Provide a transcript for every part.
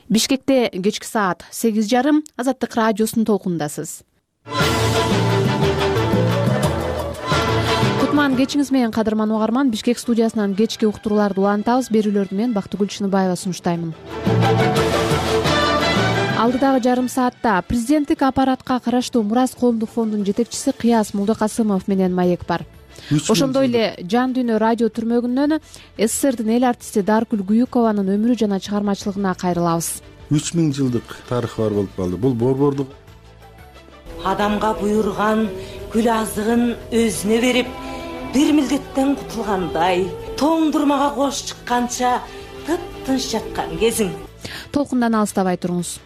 Бишкекте кечки саат 8:30 Азаттык радиосунун толкундасыз. Кутман кечиңиз менен кадырман угарман. Бишкек студиясынан кечки уктурууларды улантабыз. Берүүлөрдү мен Бактыгүл Чыныбаева сунуштаймын. Алдыдагы жарым саатта президенттик аппаратка караштуу Мурас коомдук фондунун жетекчиси Кыяс Мулдыкасымов менен маек бар. Ошондой эле Жан дүйнө радио түрмөгүнөн СССРдин эл артисти Даркүл Күйүкованын өмүрү жана чыгармачылыгына кайрылабыз. 3000 жылдык тарыхы бар болуп калды. Бул борбордук адамга буйруган гүл азыгын өзүнө берип, бир милдеттен кутулгандай, тоңдурмага кош чыкканча тып-тынч жаткан кезиң. Толкундан алыстабай туруңуз.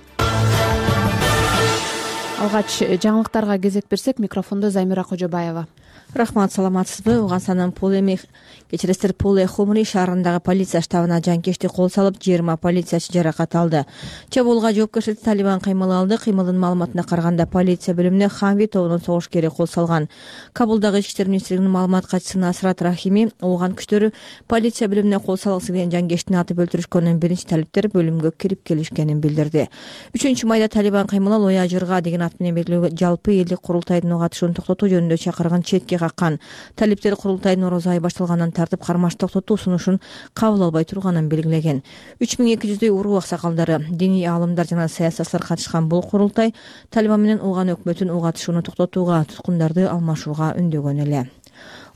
Алгач жаңылыктарга кезек берсек, микрофондо Замира Кожобаева. Рахмат, саламатсызбы? Уганстанын Пуле Хомри шаарындагы полиция штабына жанкечтик кол салып, 20 полициячы жаракат алды. Чабуулга жоопкерчиликти Талибан кыймыл алды. Кыймылдын маалыматына караганда, полиция бөлүмүнө Хамви тобунун согушкери кол салган. Кабулдагы Ички иштер министрлигинин маалымат катчысы Насрат Рахими ооган күчтөрү полиция бөлүмүнө кол салгысы келген жанкечтини атып өлтүрүшкөнүн биринчи талиптер бөлүмгө кирип келишкенин билдирди. 3-майда Талибан кыймылы Лоя Жырга деген ат менен белгилүү жалпы элдик курултайдын катышуун токтотуу жөнүндө чакырган четке каккан. Талиптер курултай Нороозу ай башталгандан тартып кармаш токтотуу сунушун кабыл албай турганын белгилеген. 3200дөй уруу аксакалдары, диний аалымдар жана саясатчылар катышкан бул курултай Талибан менен Ууган өкмөтүн угатышууну токтотууга, туткундарды алмашууга үндөгөн эле.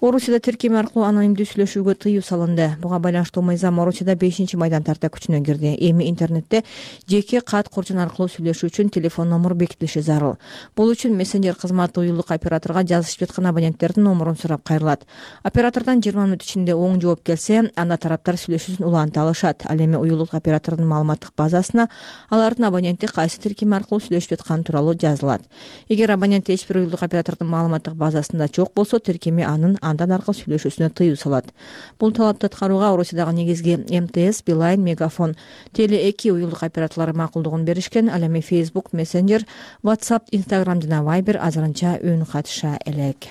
Орусияда тиркем аркылуу анонимдүү сүйлөшүүгө тыюу салынды. Буга байланыштуу мыйзам Орусияда 5-майдан тарта күчүнө кирди. Эми интернетте жеке кат коржон аркылуу сүйлөшүү үчүн телефон номер бекитилиши зарыл. Бул үчүн мессенджер кызматы уюлдук операторго жазышып жаткан абоненттердин номерун сурап кайрылат. Оператордон 20 мүнөт ичинде оң жооп келсе, анда тараптар сүйлөшүүсүн уланта алышат. Ал эми уюлдук оператордун маалыматтык базасына алардын абоненти кайсы тиркем аркылуу сүйлөшүп жатканы тууралуу жазылат. Эгер абонент эч бир уюлдук оператордун маалыматтык базасында жок болсо, тиркеми андан аркылуу сүйлөшүүсүнө тыюу салат. Бул талапты аткарууга Орусиядагы негизги МТС, Билайн, Мегафон, Теле2 уюлдук операторлору макулдугун беришкен. Ал эми Facebook, Messenger, WhatsApp, Instagram жана Viber азырынча үн катыша элек.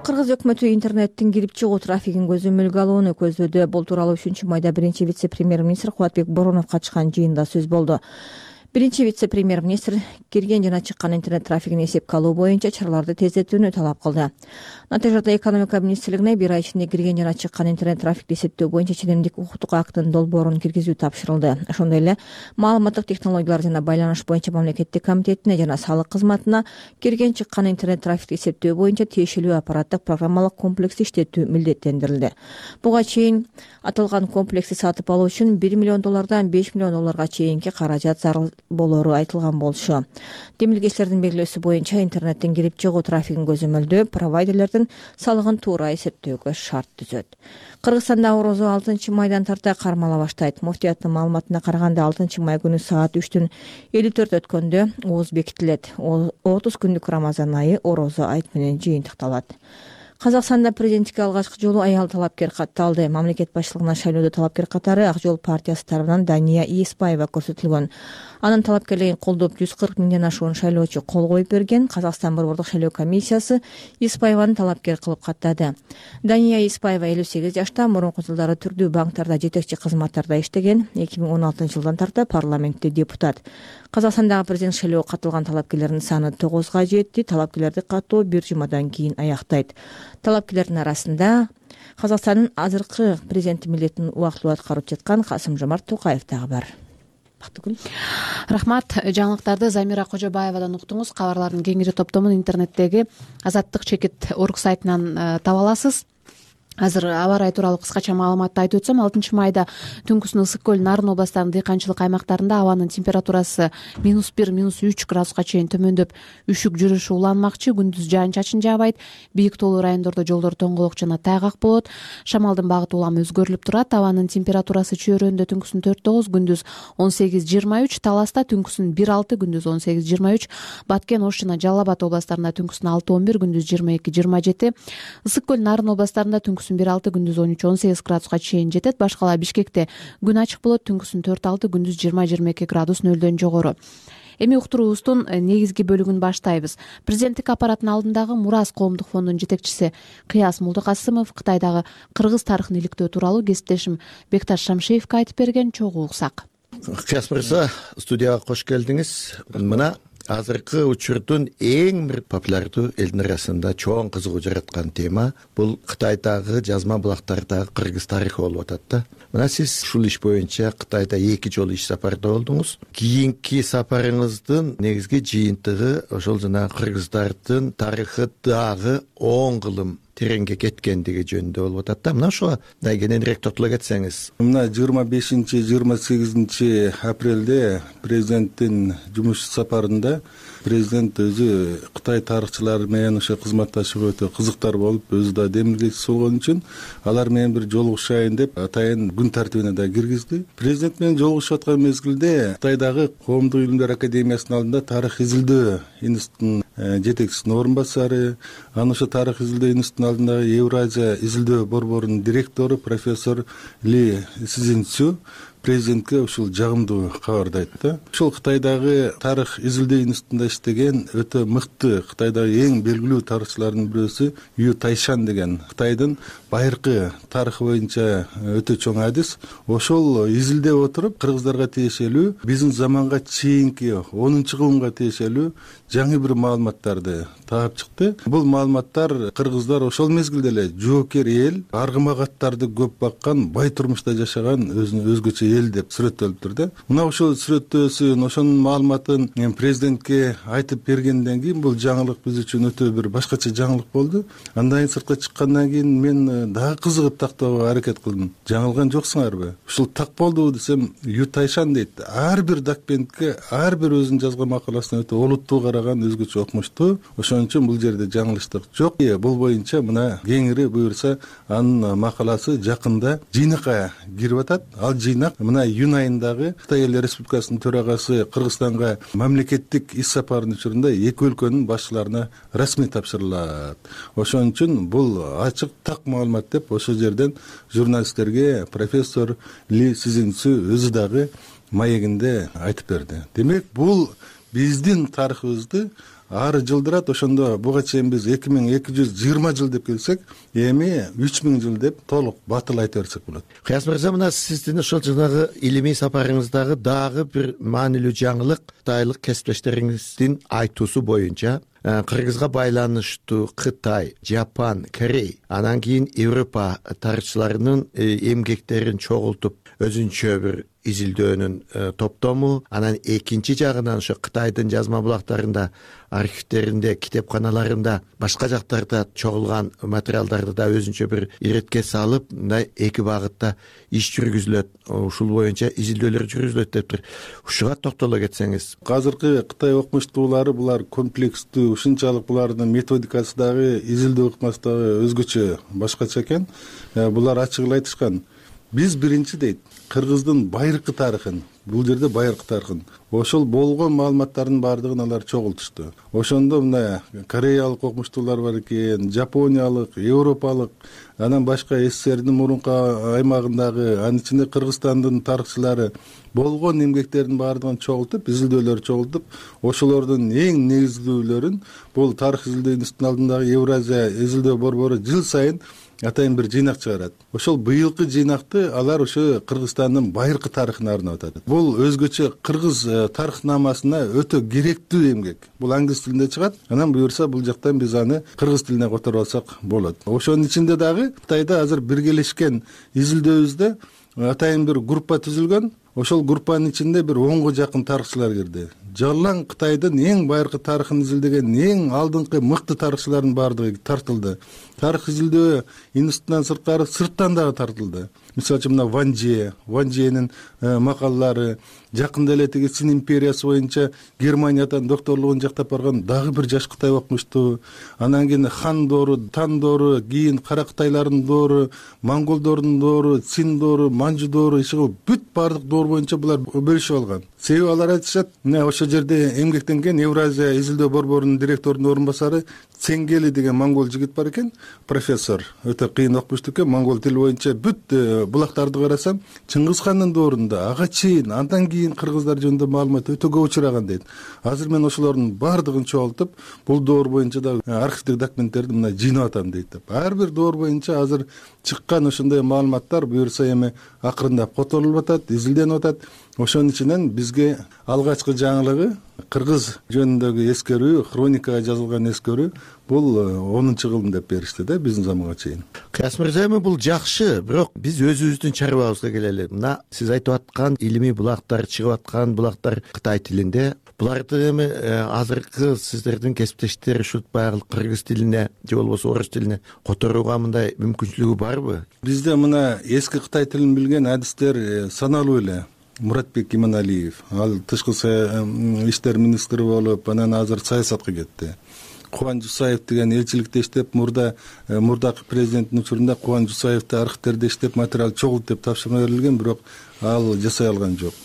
Кыргыз өкмөтү интернеттин кирип чыгуу трафигин көзөмөлгө алууну көздөдү. Бул тууралуу 3-майда биринчи вице-премьер-министр Кубатбек Боронов катышкан жыйында сөз болду. Биринчи вице-премьер-министр кирген жана чыккан интернет трафигин эсепке алуу боюнча чараларды тездетүүнү талап кылды. Натыйжада экономика министрлигине 1 ай ичинде кирген жана чыккан интернет трафикти эсептөө боюнча ченемдик укуктук актын долбоорун киргизүү тапшырылды. Ошондой эле маалыматтык технологиялар жана байланыш боюнча мамлекеттик комитетине жана салык кызматына кирген чыккан интернет трафикти эсептөө боюнча тиешелүү аппараттык программалык комплекс иштетүү милдеттендирилди. Буга чейин аталган комплексти сатып алуу үчүн $1 миллион $5 миллион чейинки каражат зарыл болору айтылган болчу. Демилгечилердин белгилөөсү боюнча интернеттин кирип чыгуу трафигин көзөмөлдөө провайдерлердин салыгын туура эсептөөгө шарт түзөт. Кыргызстанда орозо 6-майдан тарта кармала баштайт. Муфтияттын маалыматына караганда 6-май күнү саат 3:54 өткөндө ооз бекитилет. 30 күндүк Рамазан айы орозо айт менен жыйынтыкталат. Казакстанда президенттикке алгачкы жолу аял талапкер катталды. Мамлекет башчылыгына шайлоодо талапкер катары Ак жол партиясы тарабынан Дания Ийиспаева көрсөтүлгөн. Анын талапкерлигин колдоп 140 миңден ашуун шайлоочу кол коюп берген. Казакстан борбордук шайлоо комиссиясы Ийиспаеваны талапкер кылып каттады. Дания Ийиспаева 58 жашта, мурунку жылдары түрдүү банктарда жетекчи кызматтарда иштеген. 2016-жылдан тарта парламентте депутат. Казакстандагы президент шайлоого катылган талапкерлердин саны 9га жетти. Талапкерлерди каттоо 1 жумадан кийин аяктайт. Талапкерлердин арасында Казакстандын азыркы президенти милдетин убактылуу аткарып жаткан Касым-Жомарт Токаев дагы бар. Бактыгүл. Рахмат. Жаңылыктарды Замира Кожобаевадан уктуңуз. Кабарлардын кеңири топтомун интернеттеги Азаттык чекит орг сайтынан таба аласыз. Азыр аба ырайы тууралуу кыскача маалыматты айтып өтсөм, 6-майда түнкүсүн Ысык көл, Нарын областарынын дыйканчылык аймактарында абанын температурасы -1, -3 градуска чейин төмөндөп, үшүк жүрүшү уланмакчы. Күндүз жаан-чачын жаабайт. Бийик тоолуу райондордо жолдор тоңголок жана тайгак болот. Шамалдын багыты улам өзгөрүлүп турат. Абанын температурасы Чөйрөндө түнкүсүн 4-9, күндүз 18-23, Таласта түнкүсүн 1-6, күндүз 18-23, Баткен, Ош жана Жалал Абад областарында түнкүсүн 6-11, күндүз 22-27, Ысык көл, Нарын областарында түнкүсүн 1-6, күндүз 13-18 градуска чейин жетет. Башкала Бишкекте күн ачык болот. Түнкүсүн 4-6, күндүз 20-22 градус нөлдөн жогору. Эми уктуруубуздун негизги бөлүгүн баштайбыз. Президенттик аппараттын алдындагы Мурас коомдук фондунун жетекчиси Кыяс Мулдыкасымов Кытайдагы кыргыз тарыхын иликтөө тууралуу кесиптешим Бекташ Шамшеевке айтып берген чогуу уксак. Кыяс мырза, студияга кош келдиңиз. Мына азыркы учурдун эң бир популярдуу элдин арасында чоң кызыгуу жараткан тема бул Кытайдагы жазма булактардагы кыргыз тарыхы болуп атат да. Мына сиз ушул иш боюнча Кытайда 2 жолу иш сапарда болдуңуз. Кийинки сапарыңыздын негизги жыйынтыгы ошол жана кыргыздардын тарыхы дагы 10 кылым тереңге кеткендиги жөнүндө болуп атат да. Мына ошого да кененирээк тотуло кетсеңиз. Мына 25-28 апрелде президенттин жумуш сапарында президент өзү Кытай тарыхчылары менен ошо кызматташууга өтө кызыктар болуп, өзү да демилгечиси болгон үчүн алар менен бир жолугушайын деп атайын күн тартибине да киргизди. Президент менен жолугушуп аткан мезгилде Кытайдагы Коомдук илимдер академиясынын алдында тарых изилдөө институтунун жетекчисинин орун басары, анан ошо тарых изилдөө институтунун алдындагы Евразия изилдөө борборунун директору профессор Ли Цзиньцю президентке ушул жагымдуу кабарды айтты. Ушул Кытайдагы тарых изилдөө институтунда иштеген өтө мыкты Кытайдагы эң белгилүү тарыхчылардын бирөөсү Ю Тайшан деген Кытайдын байыркы тарыхы боюнча өтө чоң адис. Ошол изилдеп отуруп кыргыздарга тиешелүү биздин заманга чейинки 10-кылымга тиешелүү жаңы бир маалыматтарды таап чыкты. Бул маалыматтар кыргыздар ошол мезгилде эле жоокер эл, аргымагаттарды көп баккан, бай турмушта жашаган өзгөчө эл деп сүрөттөлүптүр да. Мына ошол сүрөттөөсүн, ошонун маалыматын президентке айтып бергенден кийин бул жаңылык биз үчүн өтө бир башкача жаңылык болду. Андан кийин сыртка чыккандан кийин мен дагы кызыгып тактоого аракет кылдым. Жаңылган жоксуңарбы? Ушул так болдубу десем, Ю Тайшан дейт. Ар бир документке, ар бир өзүнүн жазган макаласына өтө олуттуу караган, өзгөчө окумуштуу. Ошон үчүн бул жерде жаңылыштык жок. Бул боюнча мына кеңири буюрса анын макаласы жакында жыйнакка кирип атат. Ал жыйнак мына июнь айындагы Кытай Эл Республикасынын төрагасы Кыргызстанга мамлекеттик иш сапарынын учурунда эки өлкөнүн башчыларына расмий тапшырылат. Ошон үчүн бул ачык так маалымат деп ошол жерден журналисттерге профессор Ли Цзиньцю өзү дагы маегинде айтып берди. Демек, бул биздин тарыхыбызды ары жылдырат. Ошондо буга чейин биз 2220 жыл деп келсек, эми 3000 жыл деп толук батыл айта берсек болот. Кыяс мырза, мына сиздин ошол жанагы илимий сапарыңыздагы дагы бир маанилүү жаңылык кытайлык кесиптештериңиздин айтуусу боюнча кыргызга байланыштуу Кытай, Жапон, Корей, анан кийин Европа тарыхчыларынын эмгектерин чогултуп өзүнчө бир изилдөөнүн топтому, анан экинчи жагынан ошо Кытайдын жазма булактарында, архивтеринде, китепканаларында, башка жактарда чогулган материалдарды да өзүнчө бир иретке салып, мындай эки багытта иш жүргүзүлөт, ушул боюнча изилдөөлөр жүргүзүлөт дептир. Ушуга токтоло кетсеңиз. Азыркы Кытай окумуштуулары булар комплекстүү, ушунчалык булардын методикасы дагы, изилдөө ыкмасы дагы өзгөчө башкача экен. Булар ачык эле айтышкан. Биз биринчи дейт, кыргыздын байыркы тарыхын, бул жерде байыркы тарыхын, ошол болгон маалыматтардын баардыгын алар чогултушту. Ошондо мына кореялык окумуштуулар бар экен, жапониялык, европалык, анан башка СССРдин мурунку аймагындагы, анын ичинде Кыргызстандын тарыхчылары болгон эмгектердин баардыгын чогултуп, изилдөөлөр чогултуп, ошолордун эң негизгүүлөрүн бул тарых изилдөө институтунун алдындагы Евразия изилдөө борбору жыл сайын атайын бир жыйнак чыгарат. Ошол быйылкы жыйнакты алар ошо Кыргызстандын байыркы тарыхына арнап атат. Бул өзгөчө кыргыз тарыхнамасына өтө керектүү эмгек. Бул англис тилинде чыгат. Анан буюрса бул жактан биз аны кыргыз тилине которуп алсак болот. Ошонун ичинде дагы Кытайда азыр биргелешкен изилдөөбүздө атайын бир группа түзүлгөн. Ошол группанын ичинде бир 10га жакын тарыхчылар кирди. Жалаң Кытайдын эң байыркы тарыхын изилдеген эң алдыңкы мыкты тарыхчылардын баардыгы тартылды. Тарых изилдөө институтунан сырткары сырттан дагы тартылды. Мисалы үчүн мына Ван Дженин макалалары, жакында эле тиги Цин империясы боюнча Германиядан докторлугун жактап барган дагы бир жаш Кытай окумуштуу. Анан кийин Хан доору, Тан доору, кийин Кара Кытайлардын доору, монголдордун доору, Цин доору, Манжу доору, бүт баардык доор боюнча булар бөлүшүп алган. Себеби алар айтышат, мына ошол жерде эмгектенген Евразия изилдөө борборунун директорунун орун басары Ценгели деген монгол жигит бар экен, профессор, өтө кыйын окумушту экен, монгол тили боюнча бүт булактарды карасам Чыңгыз хандын доорунда ага чейин андан кийин кыргыздар жөнүндө маалымат өтө көп учураган дейт. Азыр мен ошолордун баардыгын чогултуп, бул доор боюнча да архивдик документтерди мына жыйнап атам дейт. Ар бир доор боюнча азыр чыккан ошондой маалыматтар буюрса эми акырындап которулуп атат, изилденип атат. Ошонун ичинен бизге алгачкы жаңылыгы кыргыз жөнүндөгү эскерүү, хроникага жазылган эскерүү бул 10-кылым деп беришти да биздин заманга чейин. Кыяс мырза, эми бул жакшы, бирок биз өзүбүздүн чарбабызга келели. Мына сиз айтып аткан илимий булактар, чыгып аткан булактар Кытай тилинде. Буларды эми азыркы сиздердин кесиптештер ушул баягы кыргыз тилине же болбосо орус тилине которууга мындай мүмкүнчүлүгү барбы? Бизде мына эски Кытай тилин билген адистер саналуу эле. Муратбек Иманалиев, ал тышкы иштер министри болуп, анан азыр саясатка кетти. Кубан Жусаев деген элчиликте иштеп, мурдакы президенттин учурунда Кубан Жусаевди архивтерде иштеп, материал чогулт деп тапшырма берилген, бирок ал жасай алган жок.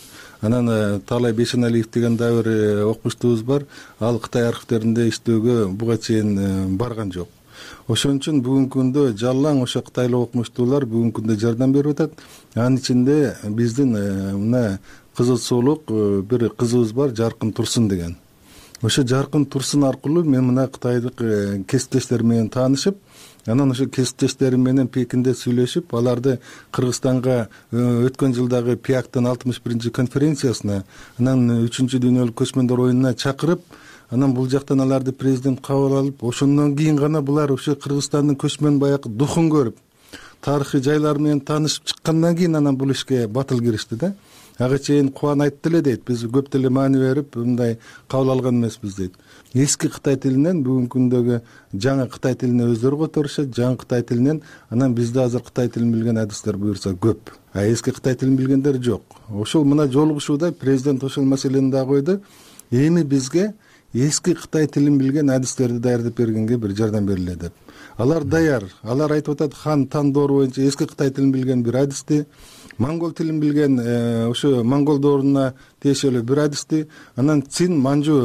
Анан Таалай Бейшеналиев деген дагы бир окумуштубуз бар, ал Кытай архивтеринде иштөөгө буга чейин барган жок. Ошон үчүн бүгүнкү күндө жалаң ошо кытайлык окумуштуулар бүгүнкү күндө жардам берип атат. Анын ичинде биздин мына кызыл суулук бир кызыбыз бар, Жаркын Турсун деген. Ошо Жаркын Турсун аркылуу мен мына кытайлык кесиптештерим менен таанышып, анан ошо кесиптештерим менен Пекинде сүйлөшүп, аларды Кыргызстанга өткөн жылдагы ПИАКтын 61-чи конференциясына, анан 3-чү дүйнөлүк көчмөндөр оюнуна чакырып, анан бул жактан аларды президент кабыл алып, ошондон кийин гана булар ошо Кыргызстандын көчмөн баягы духун көрүп, тарыхый жайлар менен таанышып чыккандан кийин анан бул ишке батыл киришти да. Ага чейин Кубан айтты эле дейт, биз көп деле маани берип, мындай кабыл алган эмеспиз дейт. Эски Кытай тилинен бүгүнкү күндөгү жаңы Кытай тилине өздөрү которушат, жаңы Кытай тилинен анан бизде азыр Кытай тилин билген адистер буюрса көп. А эски Кытай тилин билгендер жок. Ошол мына жолугушууда президент ошол маселени да койду. Эми бизге эски Кытай тилин билген адистерди даярдап бергенге бир жардам бериле деп. Алар даяр. Алар айтып атат, Хан Тан доору боюнча эски Кытай тилин билген бир адисти, монгол тилин билген ошо монгол дооруна тиешелүү бир адисти, анан Цин манжу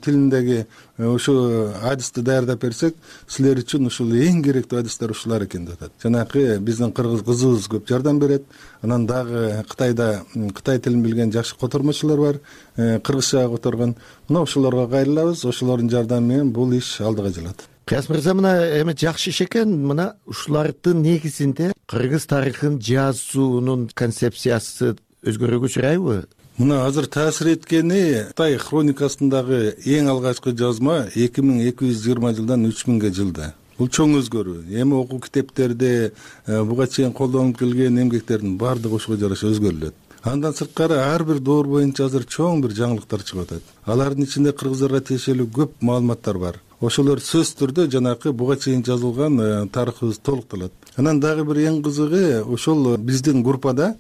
тилиндеги ошо адисти даярдап берсек, силер үчүн ушул эң керектүү адистер ушулар экен деп атат. Жанагы биздин кыргыз кызыбыз көп жардам берет. Анан дагы Кытайда Кытай тилин билген жакшы котормочулар бар, кыргызчага которгон. Мына ошолорго кайрылабыз, ошолордун жардамы менен бул иш алдыга жылат. Кыяс мырза, мына эми жакшы иш экен. Мына ушулардын негизинде кыргыз тарыхын жазуунун концепциясы өзгөрүүгө учурайбы? Мына азыр таасир эткени Кытай хроникасындагы эң алгачкы жазма 2220 жылдан 3000 жылда. Бул чоң өзгөрүү. Эми окуу китептерде буга чейин колдонуп келген эмгектердин баардыгы ошого жараша өзгөрүлөт. Андан сырткары ар бир доор боюнча азыр чоң бир жаңылыктар чыгып атат. Алардын ичинде кыргыздарга тиешелүү көп маалыматтар бар. Ошолор сөзсүз түрдө жанакы буга чейин жазылган тарыхыбыз толукталат. Анан дагы бир эң кызыгы, ошол биздин группада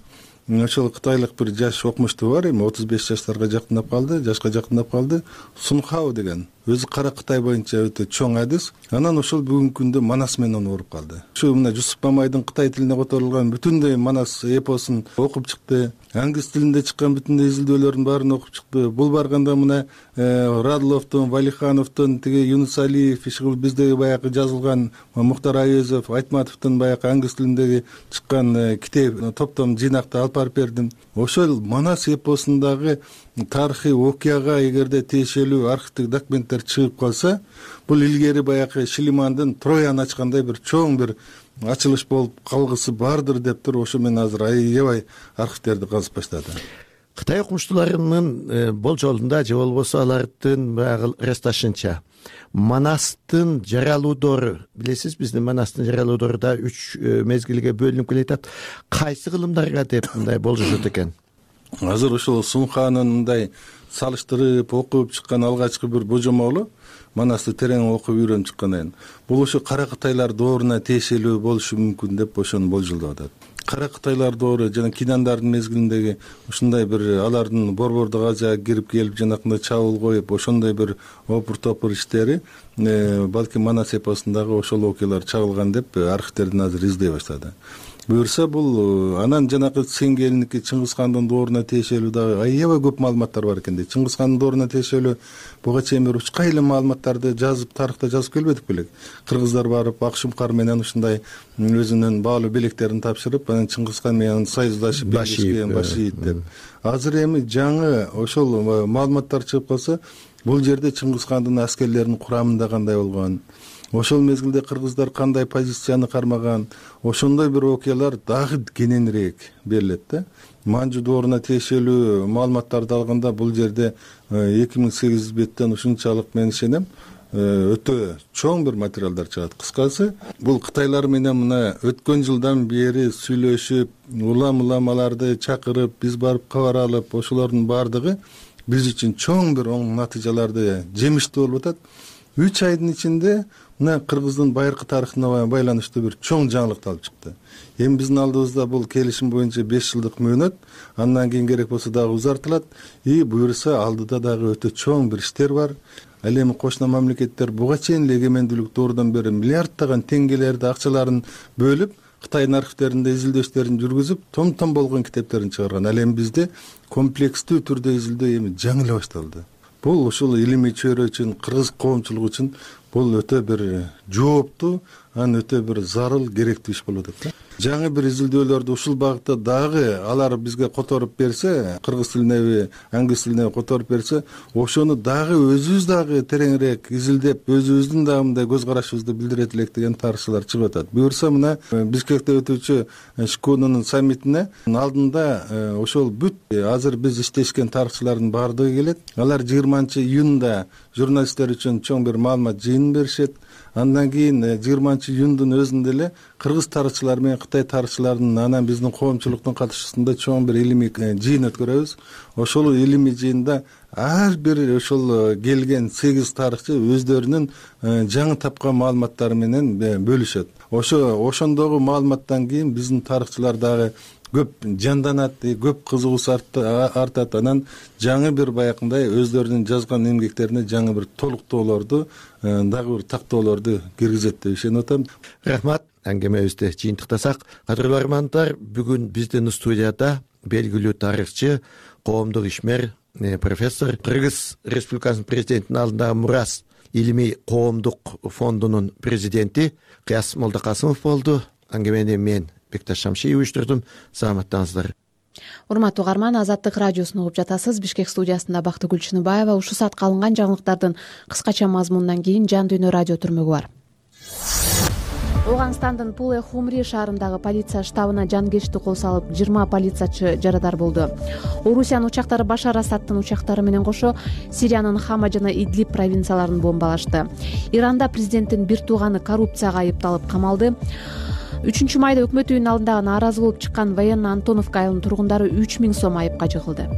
ошол кытайлык бир жаш окумуштуу бар, эми 35 жаштарга жакындап калды, жашка жакындап калды, Сунхао деген. Өзү кара Кытай боюнча өтө чоң адис. Анан ошол бүгүнкү күндө Манас менен ооруп калды. Ушу мына Жусуп Мамайдын Кытай тилине которулган бүтүндөй Манас эпосун окуп чыкты. Англис тилинде чыккан бүтүндөй изилдөөлөрдүн баарын окуп чыкты. Бул барганда мына Радловдун, Валихановдун, тиги Юнус Алиев, ишкыл биздеги баягы жазылган Мухтар Айезов, Айтматовдун баягы англис тилиндеги чыккан китеп топтом жыйнакты алып барып бердим. Ошол Манас эпосундагы тарыхый окуяга эгерде тиешелүү архивдик документтер чыгып калса, бул илгери баягы Шилимандын Троян ачкандай бир чоң бир ачылыш болуп калгысы бардыр деп туруп, ошо мен азыр аябай архивтерди казып баштадым. Кытай окумуштууларынын болжолунда же болбосо алардын баягы ырасташынча Манастын жаралуудору, билесиз, биздин Манастын жаралуудору да 3 мезгилге бөлүнүп келатат. Кайсы кылымдарга деп мындай болжошот экен? Азыр ошол Сунханын мындай салыштырып окуп чыккан алгачкы бир божомолу Манасты терең окуп үйрөнүп чыккан. Бул ошо кара Кытайлар дооруна тиешелүү болушу мүмкүн деп ошону болжолдоп атат. Кара Кытайлар доору жана Кинандардын мезгилиндеги ушундай бир алардын борбордук Азияга кирип келип жанакындай чабуул коюп ошондой бир опур-топур иштери балким Манас эпосундагы ошол окуялар чагылган деп архивтерден азыр издей баштады. буюрса бул анан жанакы Сеңгелиники Чыңгызхандын дооруна тиешелүү дагы аябай көп маалыматтар бар экен дейт. Чыңгызхандын дооруна тиешелүү буга чейин бир учка эле маалыматтарды жазып, тарыхта жазып келбедик белек. Кыргыздар барып Акшумкар менен ушундай өзүнүн баалуу белектерин тапшырып, анан Чыңгызхан менен союздашып башиит деп. Азыр эми жаңы ошол маалыматтар чыгып калса, бул жерде Чыңгызхандын аскерлеринин курамында кандай болгон, ошол мезгилде кыргыздар кандай позицияны кармаган, ошондой бир окуялар дагы кененирээк берилет да. Манжу дооруна тиешелүү маалыматтарды алганда бул жерде 2800 беттен ушунчалык мен ишенем өтө чоң бир материалдар чыгат. Кыскасы, бул кытайлар менен мына өткөн жылдан бери сүйлөшүп, уламаларды чакырып, биз барып кабар алып, ошолордун бардыгы биз үчүн чоң бир оң натыйжаларды жемиштүү болуп атат. 3 айдын ичинде мына кыргыздын байыркы тарыхына байланыштуу бир чоң жаңылык алып чыкты. Эми биздин алдыбызда бул келишим боюнча 5 жылдык мөөнөт, андан кийин керек болсо дагы узартылат. Буюрса алдыда дагы өтө чоң бир иштер бар. Ал эми кошуна мамлекеттер буга чейин эгемендүүлүк доорудан бери миллиарддаган теңгелерди, акчаларын бөлүп, Кытайдын архивтеринде изилдөөчтөрүн жүргүзүп, том болгон китептерин чыгарган. Ал эми бизде комплекстүү түрдө изилдөө эми жаңы эле башталды. Бул ушул илимий чөйрө үчүн, кыргыз коомчулугу үчүн бул өтө бир жооптуу, анан өтө бир зарыл, керектүү иш болуп атат. Жаңы бир изилдөөлөрдү ушул багытта дагы алар бизге которуп берсе, кыргыз тилине, англис тилине которуп берсе, ошону дагы өзүбүз дагы тереңирээк изилдеп, өзүбүздүн дагы мындай көз карашыбызды билдирет элек деген тарыхчылар чыгып атат. Буюрса мына Бишкекте өтүүчү ШКОнун саммитине алдында ошол бүт азыр биз иштешкен тарыхчылардын баардыгы келет. Алар 20-июнда журналисттер үчүн чоң бир маалымат жыйынын беришет. Андан кийин 20-июндун өзүндө эле кыргыз тарыхчылары менен Кытай тарыхчыларынын анан биздин коомчулуктун катышуусунда чоң бир илимий жыйын өткөрөбүз. Ошол илимий жыйында ар бир ошол келген 8 тарыхчы өздөрүнүн жаңы тапкан маалыматтары менен бөлүшөт. Ошондогу маалыматтан кийин биздин тарыхчылар дагы көп жанданат, көп кызыгуусу артат. Анан жаңы бир баягындай өздөрүнүн жазган эмгектерине жаңы бир толуктоолорду, дагы бир тактоолорду киргизет деп ишенип атам. Рахмат. Аңгемебизди жыйынтыктасак, кадырлуу армандар, бүгүн биздин студияда белгилүү тарыхчы, коомдук ишмер, профессор, Кыргыз Республикасынын президентинин алдындагы мурас илимий коомдук фондунун президенти Кыяс Молдокасымов болду. Аңгемени мен Бекташ Шамшиев уюштурдум. Саламаттаңыздар. Урматтуу угарман, Азаттык радиосун угуп жатасыз. Бишкек студиясында Бактыгүл Чыныбаева. Ушул саатка алынган жаңылыктардын кыскача мазмунунан кийин Жан Дүйнө радио түрмөгү бар. Ооганстандын Пуле Хумри шаарындагы полиция штабына жанкечти кол салып 20 полициячы жарадар болду. Орусиянын учактары Башар Асадтын учактары менен кошо Сириянын Хама жана Идлиб провинцияларын бомбалашты. Иранда президенттин бир тууганы коррупцияга айыпталып камалды. 3-майда өкмөт үйүнүн алдындагы нааразы болуп чыккан военно Антоновка айылынын тургундары 3000 сом айыпка жыгылды.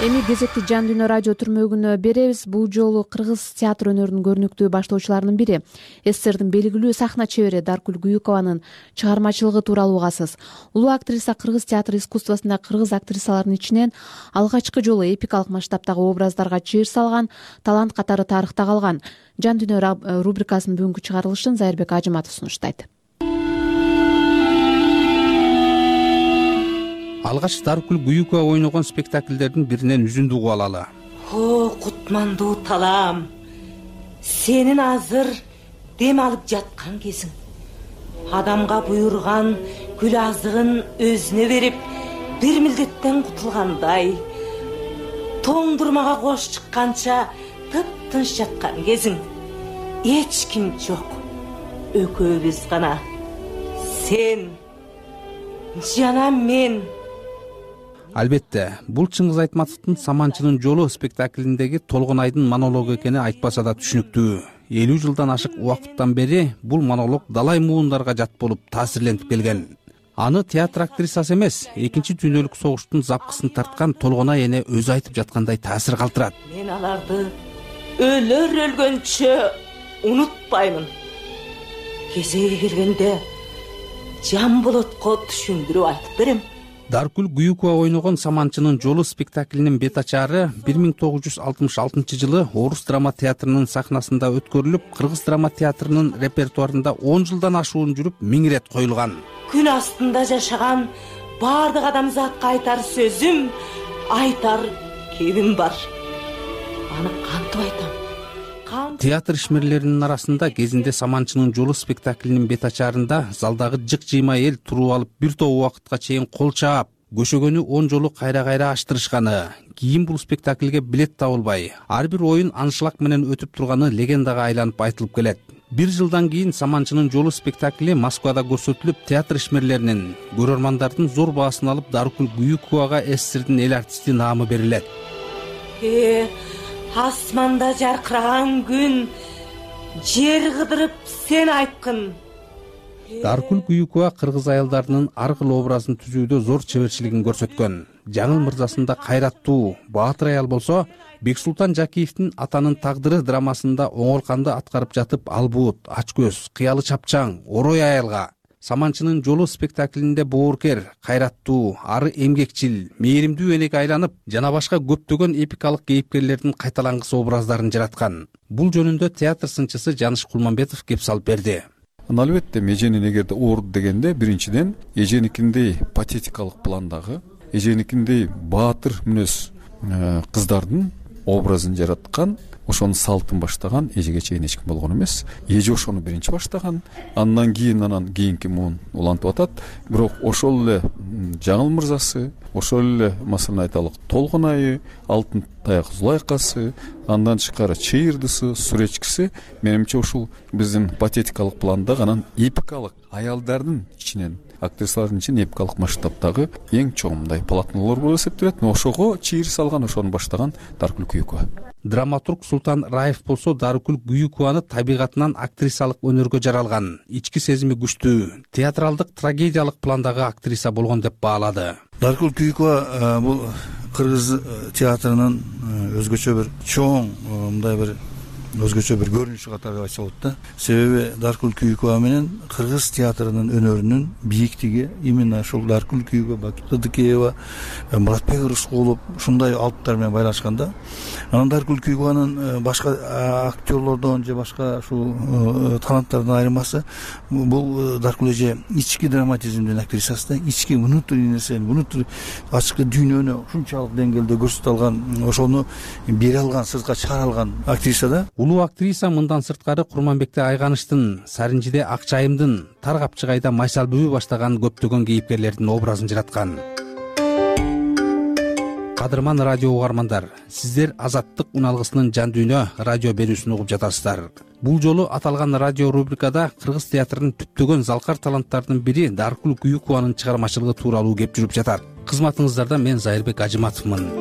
Эми кезекти Жан Дүйнө радио түрмөгүнө беребиз. Бул жолу кыргыз театр өнөрүнүн көрүнүктүү баштоочуларынын бири, СССРдин белгилүү сахна чебери Даркүл Гүйүкованын чыгармачылыгы тууралуу угасыз. Улуу актриса кыргыз театр искусствосунда кыргыз актрисаларынын ичинен алгачкы жолу эпикалык масштабтагы образдарга чыйыр салган, талант катары тарыхта калган. Жан Дүйнө рубрикасынын бүгүнкү чыгарылышын Зайырбек Ажыматов сунуштайт. Алгач Даркүл Гүйүкова ойногон спектакльдердин биринен үзүндү угуп алалы. О, кутмандуу талаам, сенин азыр дем алып жаткан кезиң. Адамга буйрган күл азыгын өзүнө берип, бир милдеттен кутулгандай, тоңдурмага кош чыкканча тып-тынч жаткан кезиң. Эч ким жок, экөөбүз гана. Сен жана мен. Албетте, бул Чыңгыз Айтматовдун Саманчынын жолу спектаклиндеги Толгон айдын монологу экени айтпаса да түшүнүктүү. 50 жылдан ашык убакыттан бери бул монолог далай муундарга жат болуп таасирленип келген. Аны театр актрисасы эмес, Экинчи дүйнөлүк согуштун запкысын тарткан Толгон ай эне өзү айтып жаткандай таасир калтырат. Мен аларды өлөр өлгөнчө унутпаймын. Кезеги келгенде Жан Болотко түшүндүрүп айтып берем. Даркүл Гүйүкова ойногон Саманчынын жолу спектаклинин бет ачаары 1966 жылы Орус драма театрынын сахнасында өткөрүлүп, Кыргыз драма театрынын репертуарында 10 жылдан ашуун жүрүп, 1000 ирет коюлган. Күн астында жашаган бардык адамзатка айтар сөзүм, айтар кебим бар. Аны кантип айтам? Театр ишмерлеринин арасында кезинде Саманчынын жолу спектаклинин бет ачаарында залдагы жык-жыйма эл туруп алып бир топ убакытка чейин кол чаап, көшөгөнү 10 жолу кайра-кайра аштырышканы, кийин бул спектакльге билет табылбай, ар бир оюн аншлаг менен өтүп турганы легендага айланып айтылып келет. Бир жылдан кийин Саманчынын жолу спектакли Москвада көрсөтүлүп, театр ишмерлеринин, көрөрмандардын зор баасын алып, Даркүл Гүйүковага СССРдин эл артисти наамы берилет. Асманда жаркыраган күн, жер кыдырып сен айткын. Даркүл Гүйүкова кыргыз аялдарынын ар кыл образын түзүүдө зор чеберчилигин көрсөткөн. Жаңыл мырзасында кайраттуу, баатыр аял болсо, Бексултан Жакиевдин Атанын тагдыры драмасында оңолканды аткарып жатып, албут, ачкөз, кыялы чапчаң, орой аялга, Саманчынын жолу спектаклинде боорукер, кайраттуу, ары эмгекчил, мээримдүү энеге айланып, жана башка көптөгөн эпикалык кейипкерлердин кайталангыс образдарын жараткан. Бул жөнүндө театр сынчысы Жаныш Кулманбетов кеп салып берди. Албетте эженин эгерде ооруду дегенде, биринчиден эженикиндей патетикалык пландагы, эженикиндей баатыр мүнөз кыздардын образын жараткан, ошонун салтын баштаган эжеге чейин эч ким болгон эмес. Эже ошону биринчи баштаган, андан кийинки муун улантып атат. Бирок ошол эле Жаңыл мырзасы, ошол эле маселен айталык Толгон айы, Алтын таяк Зулайкасы, андан тышкары Чыйырдысы, Сүречкиси, менимче ушул биздин патетикалык пландагы, анан эпикалык аялдардын ичинен, актрисалардын ичинен эпикалык масштабтагы эң чоң мындай полотнолор болуп эсептелет. Ошого чыйыр салган, ошону баштаган Даркүл Гүйүкова. Драматург Султан Раев болсо Даркүл Гүйүкованы табигатынан актрисалык өнөргө жаралган, ички сезими күчтүү, театралдык трагедиялык пландагы актриса болгон деп баалады. Даркүл Гүйүкова бул кыргыз театрынын өзгөчө бир чоң, мындай бир өзгөчө бир көрүнүшү катары айтса болот да. Себеби Даркүл Гүйүкова менен кыргыз театрынын өнөрүнүн бийиктиги именно ушул Даркүл Гүйүкова, Ыдыкеева, Муратбек Рыскулов ушундай алыптар менен байланышканда, анан Даркүл Гүйүкованын башка актерлордон же башка ушул таланттардан айырмасы, бул Даркүл эже ички драматизмдин актрисасы да, ички внутренний нерсени, внутренний ачкы дүйнөнү ушунчалык деңгээлде көрсөтө алган, ошону бере алган, сыртка чыгара алган актриса да. Улуу актриса мындан сырткары Курманбекте Айганыштын, Саринжиде Акчайымдын, Тар Капчыгайда Майсалбүбү баштаган көптөгөн кейипкерлердин образын жараткан. Кадырман радио угармандар, сиздер Азаттык уналгысынын жан дүйнө радио берүүсүн угуп жатасыздар. Бул жолу аталган радио рубрикада кыргыз театрынын түптөгөн залкар таланттардын бири Даркүл Гүйүкованын чыгармачылыгы тууралуу кеп жүрүп жатат. Кызматыңыздарда мен Зайырбек Ажыматовмун.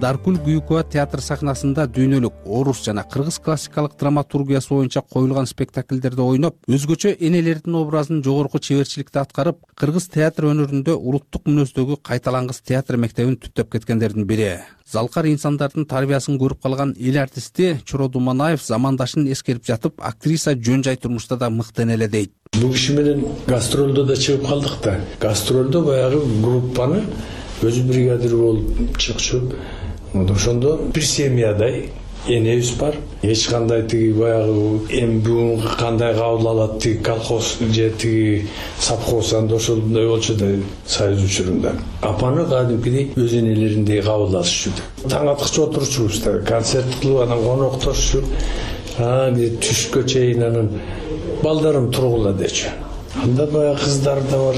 Даркүл Гүйүкова театр сахнасында дүйнөлүк, орус жана кыргыз классикалык драматургиясы боюнча коюлган спектакльдерде ойноп, өзгөчө энелердин образын жогорку чеберчиликте аткарып, кыргыз театр өнөрүндө улуттук мүнөздөгү кайталангыс театр мектебин түптөп кеткендердин бири. Залкар инсандардын тарбиясын көрүп калган эл артисти Чоро Думанаев замандашын эскерип жатып, актриса жөн жай турмушта да мыкты энеле дейт. Бул киши менен гастролдо да чыгып калдык да. Гастролдо баягы группаны өзү бригадир болуп чыкчу. Ошондо бир семьядай энебиз бар. Эч кандай тиги баягы эми бүгүн кандай кабыл алат тиги колхоз же тиги совхоз, анда ошондой болчу да союз учурунда. Апаны кадимкидей өз энелериндей кабыл алышчу. Таң аткыча отурчубуз да, концерт кылып, анан коноктошчу. Түшкө чейин анан балдарым тургула дечү. Анда баягы кыздар да бар,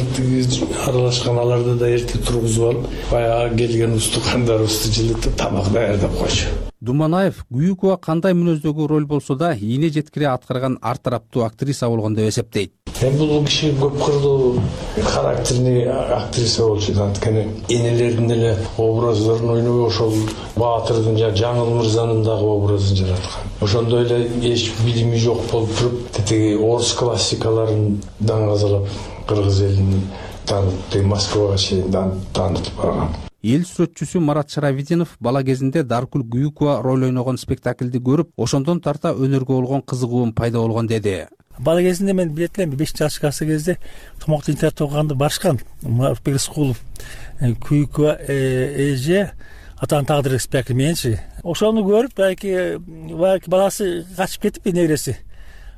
аралашкан, аларды да эрте тургузуп алып, баягы келген устукандарыбызды жылытып, тамак даярдап койчу. Думанаев Гүйүкова кандай мүнөздөгү роль болсо да ийне жеткире аткарган ар тараптуу актриса болгон деп эсептейт. Бул киши көп кырлуу характерный актриса болчу. Анткени энелердин эле образдарын ойноо, ошол Баатырдын жана Жаңыл мырзанын дагы образын жараткан. Ошондой эле эч билими жок болуп туруп, тиги орус классикаларын даңгазалап, кыргыз элин таанытып, Москвага чейин таанытып барган. Эл сүрөтчүсү Марат Шаравидинов бала кезинде Даркүл Гүйүкова роль ойногон спектакльди көрүп, ошондон тарта өнөргө болгон кызыгуум пайда болгон деди. Бала кезинде мен билет элем 5-жаш класс кезде томокту интернет окуганды барышкан. Рыскулов, Күйкү эже атанын тагдыр спектакль мененчи. Ошону көрүп балки баласы качып кетип небереси.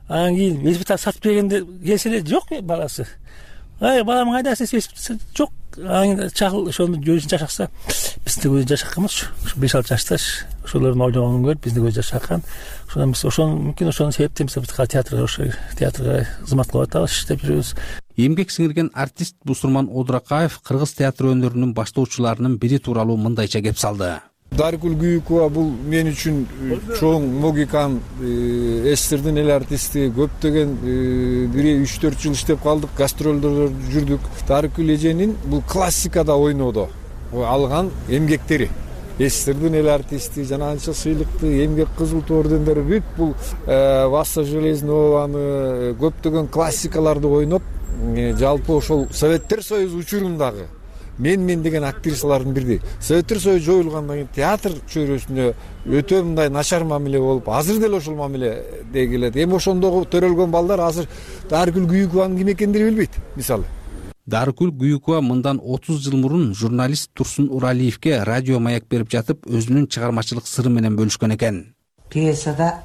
Анан кийин велосипед сатып бергенде келсе эле жок баласы. Балам кайда десе жок. Анан чагыл ошону өзүн жашакса биз да өзү жашаканбыз. 5-6 жашташ ошолордун ойногонун көрүп биз да өзү жашакан. Ошондон биз мүмкүн ошонун себептен биз театрга кызмат кылып атабыз деп жүрөбүз. Эмгек сиңирген артист Бусурман Одуракаев кыргыз театр өнөрүнүн баштоочуларынын бири тууралуу мындайча кеп салды. Дарыкүл Күйүкова бул мен үчүн чоң логикам, СССРдин эл артисти, көптөгөн 3-4 жыл иштеп калдык, гастролдордо жүрдүк. Дарыкүл эженин бул классикада ойнодо алган эмгектери. СССРдин эл артисти, жана анча сыйлыкты, эмгек кызыл ту ордендери бүт бул Васса Железнованы көптөгөн классикаларды ойноп, жалпы ошол Советтер Союзу учурундагы мен деген актрисалардын бирди. Советтер Союзу жоюлгандан кийин театр чөйрөсүнө өтө мындай начар мамиле болуп, азыр деле ошол мамиле келет. Эми ошондогу төрөлгөн балдар азыр Дарыкүл Күйүкованын ким экендигин билбейт, мисалы. Дарыкүл Күйүкова мындан 30 жыл мурун журналист Турсун Уралиевке радио маяк берип жатып, өзүнүн чыгармачылык сыры менен бөлүшкөн экен. Пьесада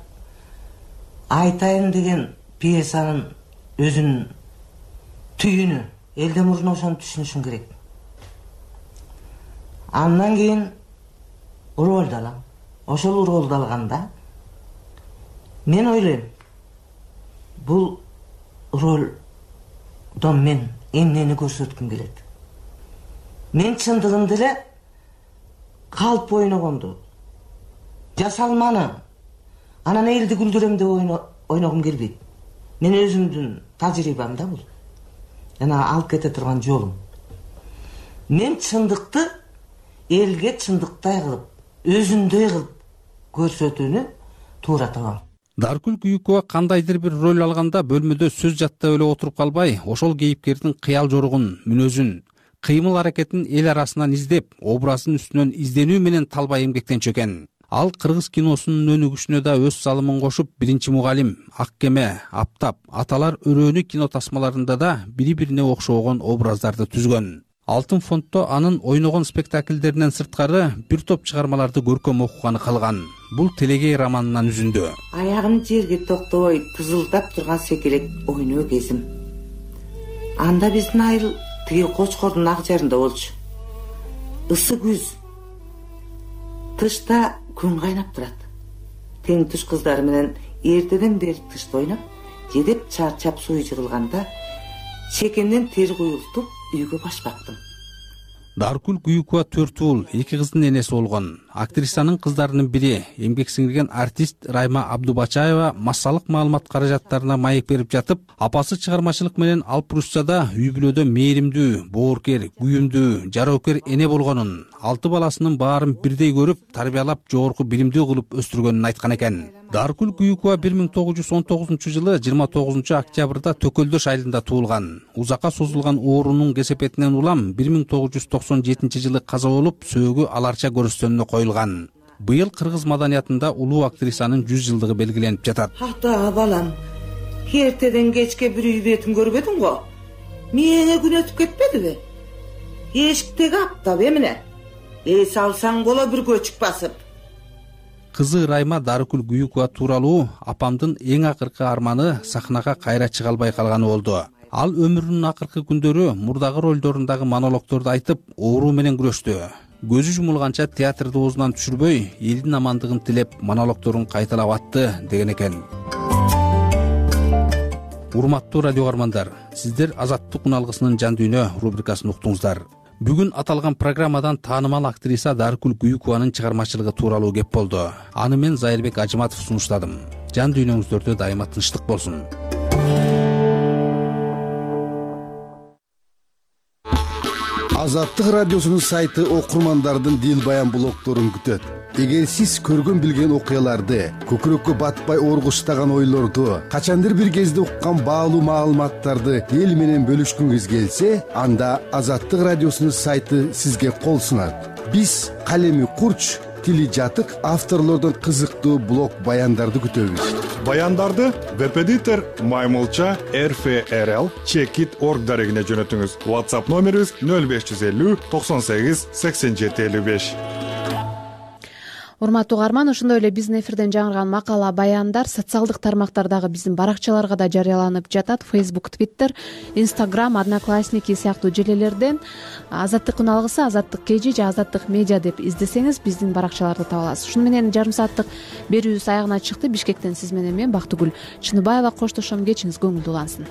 Айтайын деген пьесанын өзүнүн түйүнү элден мурун ошону түшүнүшүң керек. Андан кийин ролду алам. Ошол ролду алганда мен ойлойм, бул ролдон мен эмнени көрсөткүм келет. Мен чындыгында эле калп ойногонду, жасалманы, анан элди күлдүрөм деп ойногум келбейт. Мен өзүмдүн тажрыйбам да бул. Жана алып кете турган жолум. Мен чындыкты элге чындыктай кылып, өзүндөй кылып көрсөтүүнү туура табам. Дарыкүл Күйүкова кандайдыр бир роль алганда бөлмөдө сөз жаттап эле отуруп калбай, ошол кейипкердин кыял жоругун, мүнөзүн, кыймыл аракетин эл арасынан издеп, образын үстүнөн изденүү менен талбай эмгектенчү экен. Ал кыргыз киносунун өнүгүшүнө да өз салымын кошуп, Биринчи мугалим, Ак кеме, Аптап, Аталар өрөөнү кино тасмаларында да бири-бирине окшогон образдарды түзгөн. Алтын фонддо анын ойногон спектакльдеринен сырткары бир топ чыгармаларды көркөм окуганы калган. Бул Телегей романынан үзүндү. Аягым жерге токтобой тызылдап турган секелек ойноо кезим. Анда биздин айыл тиги Кочкордун ак жарында болчу. Ысы күз. Тышта күн кайнап турат. Тең туш кыздары менен эртеден бери тышта ойноп, жедеп чарчап суу жыгылганда чекемден тер куюлтуп үйгө башпактым. Дарыкүл Күйүкова 4 уул, 2 кыздын энеси болгон. Актрисанын кыздарынын бири, эмгек сиңирген артист Райма Абдубачаева массалык маалымат каражаттарына маек берип жатып, апасы чыгармачылык менен Алп Руссияда үй бүлөдө мээримдүү, бооркер, күйүмдүү, жароокер эне болгонун, 6 баласынын баарын бирдей көрүп, тарбиялап, жогорку билимдүү кылып өстүргөнүн айткан экен. Дарыкүл Күйүкова 1919-жылы 29 октябрда Төкөлдөш айылында туулган. Узакка созулган оорунун кесепетинен улам 1997-жылы каза болуп, сөөгү аларча көрүстөнүнө коюлган. Быйыл кыргыз маданиятында улуу актрисанын 100 жылдыгы белгиленип жатат. Ата балам, эртеден кечке бир үй бетин көрбөдүң го? Мээңе күн өтүп кетпедиби? Эшиктеги аптап эмне? Эс алсаң боло бир көчүк басып. Кызы Райма Дарыкүл Күйүкова тууралуу апамдын эң акыркы арманы сахнага кайра чыга албай калганы болду. Ал өмүрүнүн акыркы күндөрү мурдагы ролдорундагы монологдорду айтып, оору менен күрөштү. Көзү жумулганча театрды оозунан түшүрбөй, элдин амандыгын тилеп, монологдорун кайталап атты деген экен. Урматтуу радио каармандар, сиздер Азаттык күн алгысынын жан дүйнө рубрикасын уктуңуздар. Бүгүн аталган программадан таанымал актриса Дарыкүл Күйүкованын чыгармачылыгы тууралуу кеп болду. Аны мен Зайырбек Ажыматов сунуштадым. Жан дүйнөңүздөрдө дайыма тынчтык болсун. Азаттык радиосунун сайты окурмандардын дил баян блогдорун күтөт. Эгер сиз көргөн билген окуяларды, көкүрөккө батпай оргуштаган ойлорду, качандыр бир кезде уккан баалуу маалыматтарды эл менен бөлүшкүңүз келсе, анда Азаттык радиосунун сайты сизге кол сунат. Биз калеми курч, тили жатык авторлордон кызыктуу блог баяндарды күтөбүз. Баяндарды webeditor@mymulcha.rfrl.org дарегине жөнөтүңүз. WhatsApp номерибиз 0550 98 87 55. Урматтуу угарман, ошондой эле биздин эфирден жаңырган макала, баяндар социалдык тармактардагы биздин баракчаларга да жарыяланып жатат. Facebook, Twitter, Instagram, Одноклассники сыяктуу желелерден Азаттыктын алгысы, Азаттык KG же Азаттык медиа деп издесеңиз биздин баракчаларды таба аласыз. Ушуну менен жарым сааттык берүүбүз аягына чыкты. Бишкектен сиз менен мен Бактыгүл Чыныбаева коштошом. Кечиңиз көңүлдүү улансын.